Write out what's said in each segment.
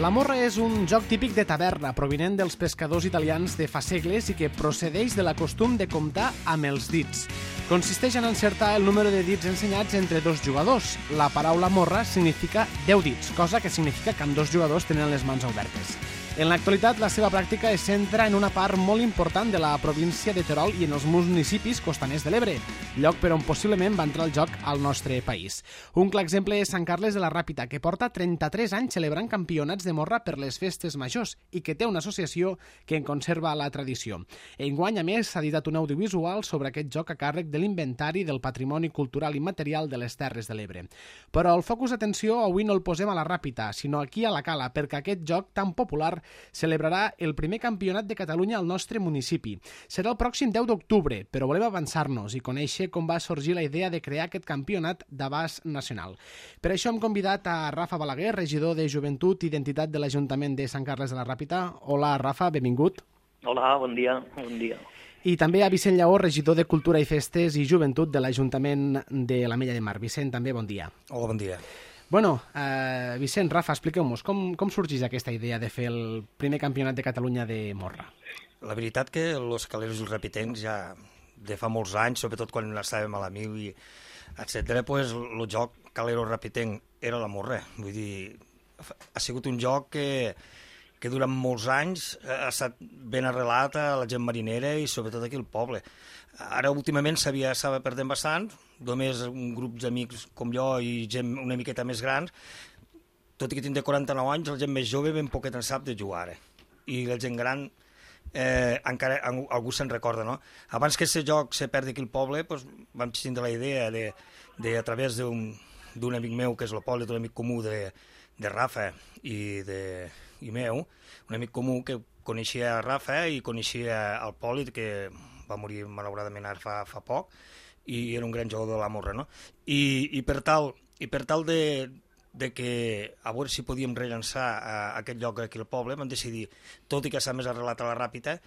La morra és un joc típic de taverna provinent dels pescadors italians de fa segles i que procedeix de la costum de comptar amb els dits. Consisteix en encertar el número de dits ensenyats entre dos jugadors. La paraula morra significa 10 dits, cosa que significa que ambdós jugadors tenen les mans obertes. En l'actualitat, la seva pràctica es centra en una part molt important de la província de Terol i en els municipis costaners de l'Ebre, lloc per on possiblement va entrar el joc al nostre país. Un clar exemple és Sant Carles de la Ràpita, que porta 33 anys celebrant campionats de morra per les festes majors i que té una associació que en conserva la tradició. Enguany, a més, s'ha editat un audiovisual sobre aquest joc a càrrec de l'Inventari del Patrimoni Cultural Immaterial de les Terres de l'Ebre. Però el focus d'atenció avui no el posem a la Ràpita, sinó aquí a la Cala, perquè aquest joc tan popular celebrarà el primer campionat de Catalunya al nostre municipi. Serà el pròxim 10 d'octubre, però volem avançar-nos i conèixer com va sorgir la idea de crear aquest campionat d'abast nacional. Per això hem convidat a Rafa Balaguer, regidor de Joventut i Identitat de l'Ajuntament de Sant Carles de la Ràpita. Hola, Rafa, benvingut. Hola, bon dia. I també a Vicent Lleó, regidor de Cultura i Festes i Joventut de l'Ajuntament de l'Ametlla de Mar. Vicent, també bon dia. Hola, bon dia. Bueno, Vicent, Rafa, expliqueu-nos, com sorgeix aquesta idea de fer el primer campionat de Catalunya de morra? La veritat que els caleros i els rapitencs ja de fa molts anys, sobretot quan estàvem a la mil i etcètera, pues, el joc calero-rapitenc era la morra. Vull dir, ha sigut un joc que durant molts anys ha estat ben arrelat a la gent marinera i sobretot aquí al poble. Ara últimament s'estava perdent bastant, només un grup d'amics com jo i gent una miqueta més grans, tot i que tinc 49 anys, la gent més jove ben poquet en sap de jugar ara. I la gent gran encara algú se'n recorda, no? Abans que aquest joc se perdi aquí al poble, doncs, vam tindre la idea de a través d'un amic meu, que és el Pol, un amic comú de Rafa i meu, un amic comú que coneixia Rafa i coneixia el Pol, que va morir malauradament ara fa poc, i era un gran jugador de la morra, no? I per tal de que a veure si podíem rellançar aquest lloc aquí al poble, vam decidir, tot i que s'ha més arrelat a la Ràpita,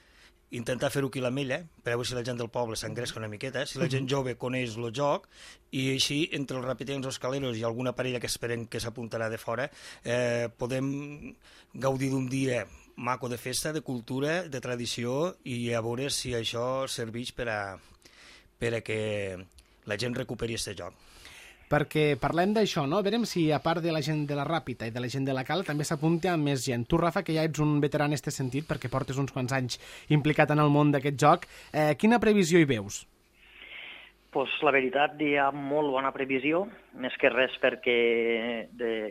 intentar fer-ho aquí a l'Ametlla, per a veure si la gent del poble s'engresca una miqueta, si la gent jove coneix el joc, i així, entre els rapitencs, els caleros i alguna parella que esperem que s'apuntarà de fora, podem gaudir d'un dia maco de festa, de cultura, de tradició, i a veure si això serveix per a que la gent recuperi aquest joc. Perquè parlem d'això, no? Verem si, a part de la gent de la Ràpita i de la gent de la Cala, també s'apunta amb més gent. Tu, Rafa, que ja ets un veterà en aquest sentit, perquè portes uns quants anys implicat en el món d'aquest joc, quina previsió hi veus? Pues la veritat, hi ha molt bona previsió, més que res perquè,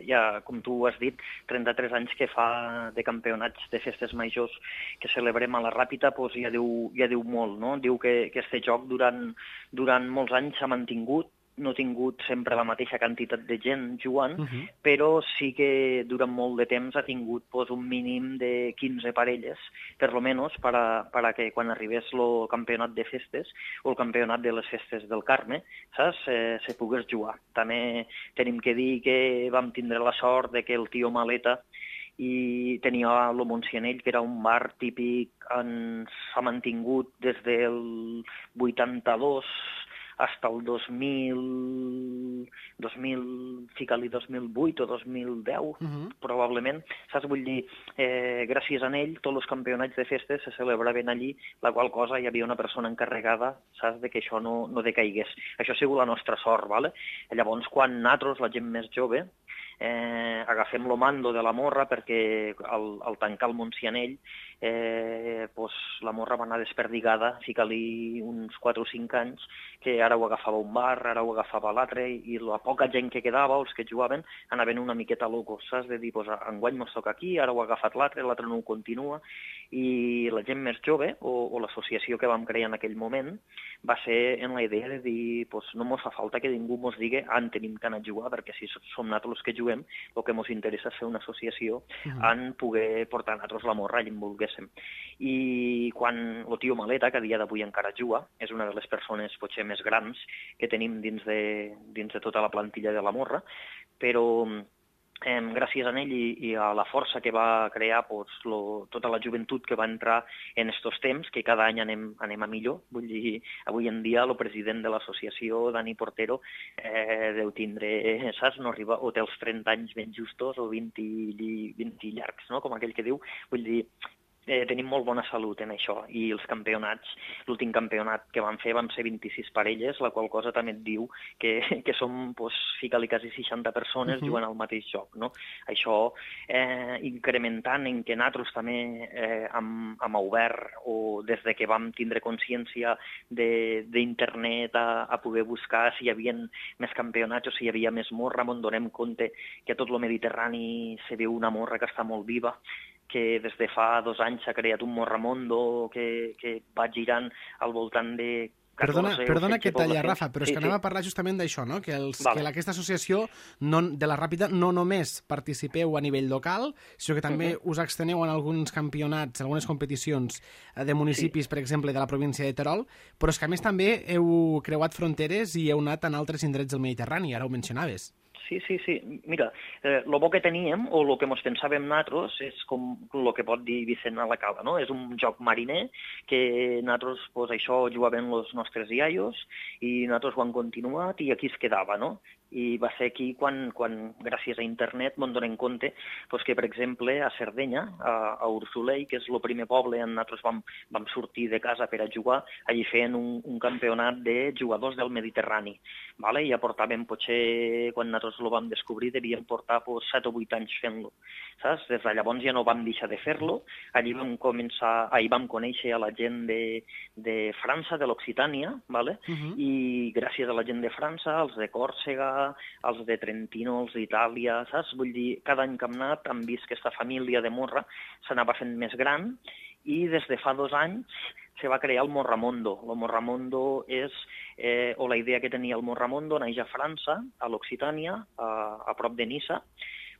ja, com tu has dit, 33 anys que fa de campionats de festes majors que celebrem a la Ràpita, pues ja diu molt, no? Diu que aquest joc durant molts anys s'ha mantingut, no ha tingut sempre la mateixa quantitat de gent jugant, però sí que durant molt de temps ha tingut un mínim de 15 parelles, per lo menos, per a que quan arribés el campionat de festes o el campionat de les festes del Carme, saps, se pogués jugar. També tenim que dir que vam tindre la sort de que el tio Maleta i tenia el Montsianell, que era un bar típic, s'ha mantingut des del 82 fins al 2008 o 2010, probablement. Saps? Vull dir, gràcies a ell, tots els campionats de festes se celebraven allí, la qual cosa hi havia una persona encarregada, saps, de que això no decaigués. Això ha sigut la nostra sort, ¿vale? Llavors, quan nosaltres, la gent més jove, agafem el mando de la morra, perquè al tancar el Montsianell la morra va anar desperdigada, fica-li uns 4 o 5 anys, que ara ho agafava un bar, ara ho agafava l'altre, i la poca gent que quedava, els que jugaven, anaven una miqueta locos, saps? De dir, enguany mos toca aquí, ara ho ha agafat l'altre no ho continua, i la gent més jove, o l'associació que vam crear en aquell moment, va ser en la idea de dir, no mos fa falta que ningú mos digui en tenim que anar a jugar, perquè si som nosaltres els que juguem, el que mos interessa és fer una associació en poder portar nosaltres la morra allà on volguéssim. I quan el tio Maleta, que a dia d'avui encara juga, és una de les persones potser més grans que tenim dins de tota la plantilla de la morra, però gràcies a ell i a la força que va crear tota la joventut que va entrar en estos temps, que cada any anem a millor. Vull dir, avui en dia el president de l'associació, Dani Portero, deu tindre, saps, no arriba, o té els 30 anys ben justos o 20 llargs, no?, com aquell que diu. Vull dir, tenim molt bona salut en això, i els campionats, l'últim campionat que vam fer van ser 26 parelles, la qual cosa també et diu que som, fica-li quasi 60 persones jugant al mateix joc, no? Això incrementant en que nosaltres també hem obert, o des de que vam tindre consciència d'internet a poder buscar si hi havia més campionats o si hi havia més morra, on donem compte que a tot el Mediterrani se veu una morra que està molt viva, que des de fa 2 anys s'ha creat un Morramondo que va girant al voltant de 14... Perdona que talla, Rafa, però és que anava a parlar justament d'això, no? Que aquesta associació de la Ràpita no només participeu a nivell local, sinó que també us exteneu en alguns campionats, algunes competicions de municipis, per exemple, de la província de Terol, però és que a més també heu creuat fronteres i heu anat en altres indrets del Mediterrani, ara ho mencionaves. Sí. Mira, el bo que teníem, o el que ens pensàvem nosaltres, és com el que pot dir Vicent a la Cala, no? És un joc mariner que nosaltres, això, jugàvem els nostres iaios i nosaltres ho hem continuat i aquí es quedava, no? I va ser aquí quan gràcies a internet ens donem compte que, per exemple, a Sardenya, a Ursulei, que és el primer poble on nosaltres vam sortir de casa per a jugar, allí feien un campionat de jugadors del Mediterrani. I ja portàvem, potser, quan nosaltres el vam descobrir, devíem portar 7 o 8 anys fent-lo. Saps? Des de llavors ja no vam deixar de fer-lo. Allí vam conèixer a la gent de França, de l'Occitània, i gràcies a la gent de França, els de Còrsega, els de Trentino, els d'Itàlia, saps? Vull dir, cada any que hem anat hem vist que aquesta família de morra s'anava fent més gran i des de fa 2 anys se va crear el Morramondo. El Morramondo és, o la idea que tenia el Morramondo, naix a França, a l'Occitània, a prop de Niça,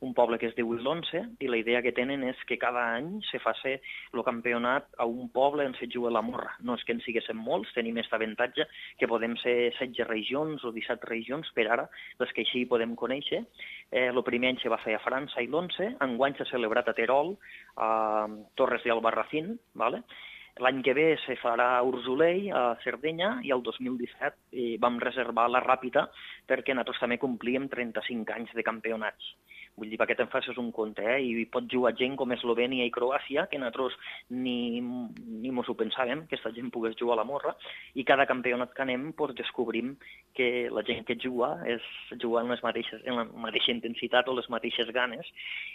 un poble que es diu Ilonse, i la idea que tenen és que cada any se faci el campionat a un poble on se juga la morra. No és que en siguéssim molts, tenim aquest avantatge que podem ser 16 regions o 17 regions per ara, les que així podem conèixer. El primer any se va fer a França, a Ilonse, enguany s'ha celebrat a Terol, a Torres de Albarracín, L'any que ve se farà a Ursulei, a Sardenya, i el 2017 vam reservar la Ràpita perquè nosaltres també complíem 35 anys de campionats. Vull dir, perquè te'n facis un compte, i pot jugar gent com Eslovènia i Croàcia, que nosaltres ni mos ho pensàvem, que aquesta gent pogués jugar a la morra, i cada campionat que anem descobrim que la gent que juga en la mateixa intensitat o les mateixes ganes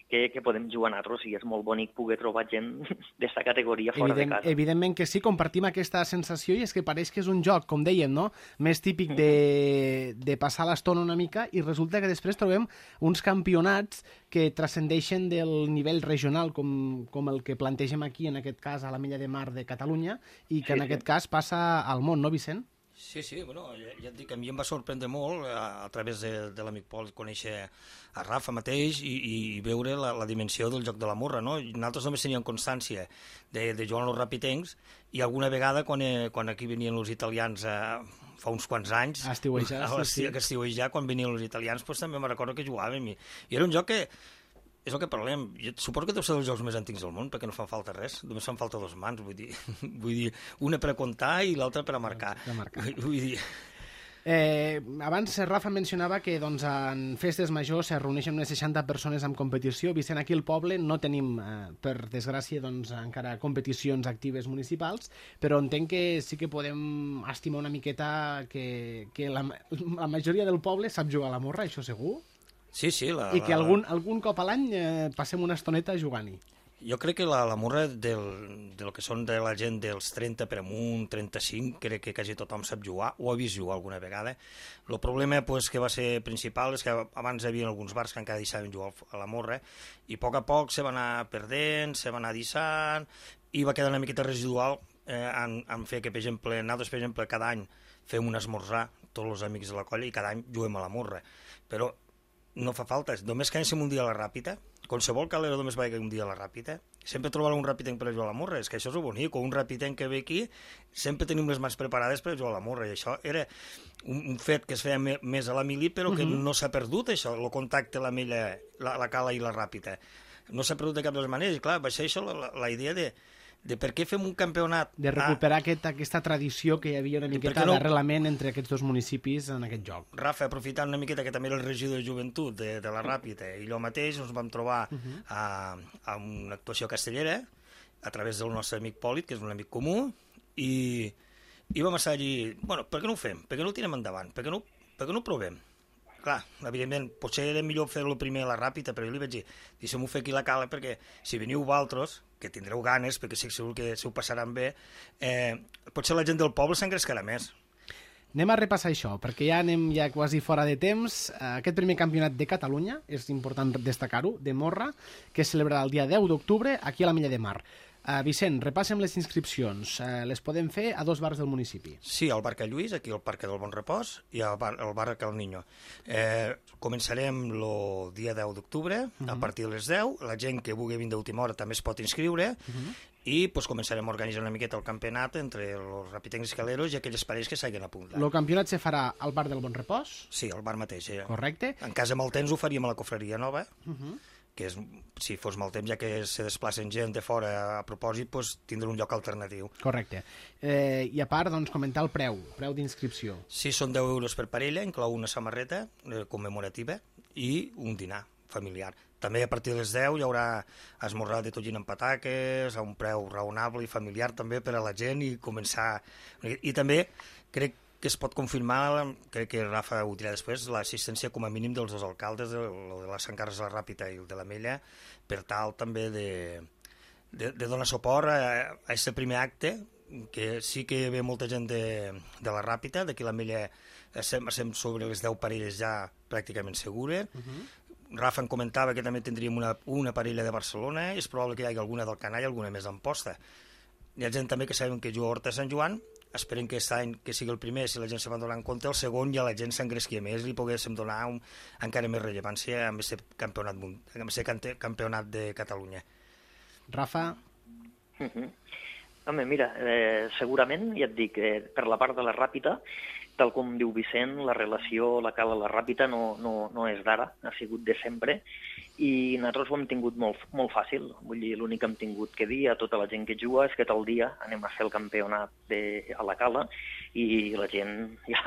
que podem jugar nosaltres, i és molt bonic poder trobar gent d'aquesta categoria fora de casa. Evidentment que sí, compartim aquesta sensació, i és que pareix que és un joc, com dèiem, no?, més típic de passar l'estona una mica, i resulta que després trobem uns campionats que transcendeixen del nivell regional, com el que plantegem aquí, en aquest cas, a la Milla de Mar de Catalunya, i que en aquest cas passa al món, no, Vicent? Sí, bueno, ja et dic, a mi em va sorprendre molt a través de l'amic Pol conèixer a Rafa mateix i veure la dimensió del joc de la morra, no? Nosaltres només teníem constància de jugar als rapitencs, i alguna vegada quan aquí venien els italians fa uns quants anys, a estiuejar, quan venien els italians, també me'n recordo que jugàvem, i era un joc que és el que parlem. Jo suposo que deu ser dels jocs més antics del món, perquè no fan falta res. Només fan falta 2 mans, vull dir, una per a comptar i l'altra per a marcar. Vull dir... Abans Rafa mencionava que en festes majors se reuneixen unes 60 persones en competició. Vicent, aquí al poble no tenim, per desgràcia, encara competicions actives municipals, però entenc que sí que podem estimar una miqueta que la majoria del poble sap jugar a la morra, això segur? Sí. I que algun cop a l'any passem una estoneta jugant-hi. Jo crec que la morra del que són de la gent dels 30 per amunt, 35, crec que quasi tothom sap jugar, o ha vist jugar alguna vegada. El problema que va ser principal és que abans hi havia alguns bars que encara deixaven jugar a la morra, i a poc se va anar perdent, se va anar deixant, i va quedar una miqueta residual en fer que, per exemple, cada any fem un esmorzar, tots els amics de la colla, i cada any juguem a la morra. Però no fa falta. Només que anéssim un dia a la Ràpita, qualsevol calero només va un dia a la Ràpita, sempre trobarà un rapitenc per a jugar a la morra. És que això és bonic. Un rapitenc que ve aquí, sempre tenim les mans preparades per a jugar a la morra. I això era un fet que es feia més a la mili, però que no s'ha perdut, això, el contacte, la cala i la Ràpita. No s'ha perdut de cap de les maneres. I clar, va ser això la idea de per què fem un campionat... De recuperar aquesta tradició que hi havia una miqueta d'arrelament entre aquests dos municipis en aquest joc. Rafa, aprofitant una miqueta que també era el regidor de joventut de la Ràpita, i allò mateix ens vam trobar a una actuació castellera a través del nostre amic Pòlit, que és un amic comú, i vam estar allí, bueno, per què no ho fem? Per què no ho tirem endavant? Per què no ho provem? Clar, evidentment, potser era millor fer-lo primer a la Ràpita, però jo li vaig dir, deixem-ho fer aquí a la cala, perquè si veniu vosaltres, que tindreu ganes, perquè estic segur que se ho passaran bé, potser la gent del poble s'engrescarà més. Anem a repassar això, perquè ja anem quasi fora de temps. Aquest primer campionat de Catalunya, és important destacar-ho, de morra, que es celebrarà el dia 10 d'octubre aquí a la Mella de Mar. Vicent, repassem les inscripcions. Les podem fer a 2 bars del municipi. Sí, al bar Cal Lluís, aquí al Parc del Bon Repòs, i al bar Cal Niño. Començarem el dia 10 d'octubre, a partir de les 10. La gent que vulgui vindre d'última hora també es pot inscriure, i començarem a organitzar una miqueta el campionat entre els rapitencs escaleros i aquelles parells que s'hagin apuntat. El campionat se farà al bar del Bon Repòs? Sí, al bar mateix. Correcte. En cas de mal temps ho faríem a la cofreria nova, que és, si fos mal temps, ja que se desplacen gent de fora a propòsit, tindrà un lloc alternatiu. Correcte. I a part, comentar el preu d'inscripció. Sí, són 10 euros per parella, inclou una samarreta commemorativa i un dinar familiar. També a partir de les 10 hi haurà esmorzar de tonyina amb pataques, a un preu raonable i familiar també per a la gent, i començar... I també crec que es pot confirmar, crec que Rafa ho dirà després, l'assistència com a mínim dels 2 alcaldes, el de la Sant Carles de la Ràpita i el de la Mella, per tal també de donar suport a aquest primer acte, que sí que ve molta gent de la Ràpita, d'aquí la Mella estem sobre les 10 parelles ja pràcticament segures. Rafa em comentava que també tindríem una parella de Barcelona, és probable que hi hagi alguna del Canall, alguna més d'Amposta. Hi ha gent també que sabem que juga a Horta Sant Joan. Esperem que aquest any que sigui el primer, si la gent se va donar en compte, el segon ja la gent s'engresqui més i poguéssim donar encara més rellevància amb aquest campionat de Catalunya. Rafa? Home, mira, segurament, ja et dic, per la part de la Ràpita, tal com diu Vicent, la relació, la cala a la Ràpita no és d'ara, ha sigut de sempre, i nosaltres ho hem tingut molt fàcil. Vull dir, l'únic que hem tingut que dir a tota la gent que juga és que tal dia anem a fer el campionat a la cala, i la gent ja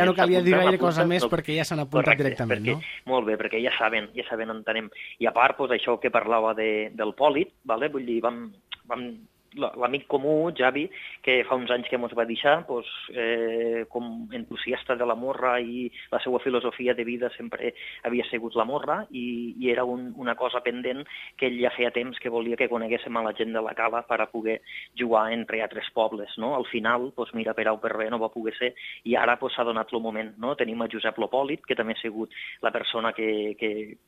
no calia dir gaire cosa més perquè ja s'han apuntat directament, no? Molt bé, perquè ja saben on anem. I a part, això que parlava del Pòlit, vull dir, vam l'amic comú, Javi, que fa uns anys que ens va deixar, com entusiasta de la morra, i la seva filosofia de vida sempre havia sigut la morra, i era una cosa pendent que ell ja feia temps que volia que coneguéssim a la gent de la cala per a poder jugar entre altres pobles, no? Al final, mira, per A o per B no va poder ser, i ara s'ha donat el moment, no? Tenim a Josep Lopòlit, que també ha sigut la persona que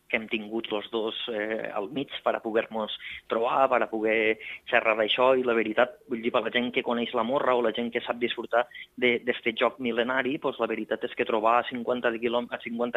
hem tingut els dos al mig per a poder-nos trobar, per a poder xerrar d'això, i la veritat, vull dir, per la gent que coneix la morra o la gent que sap disfrutar d'aquest joc mil·lenari, la veritat és que trobar a 50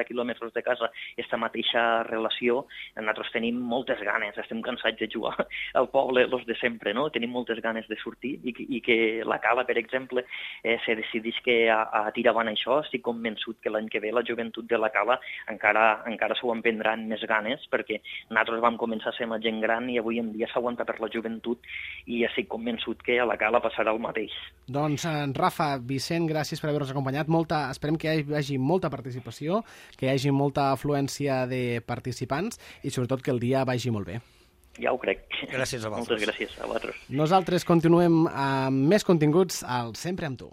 quilòmetres de casa aquesta mateixa relació, nosaltres tenim moltes ganes, estem cansats de jugar al poble, els de sempre, no? Tenim moltes ganes de sortir, i que la cala, per exemple, se decidís que a tirar avant això, estic convençut que l'any que ve la joventut de la cala encara s'ho emprendran més ganes, perquè nosaltres vam començar a ser la gent gran i avui en dia s'aguanta per la joventut, i estic convençut que a la cala passarà el mateix. Doncs, Rafa, Vicent, gràcies per haver-nos acompanyat. Esperem que hi hagi molta participació, que hi hagi molta afluència de participants i, sobretot, que el dia vagi molt bé. Ja ho crec. Gràcies a vosaltres. Moltes gràcies a vosaltres. Nosaltres continuem amb més continguts al Sempre amb tu.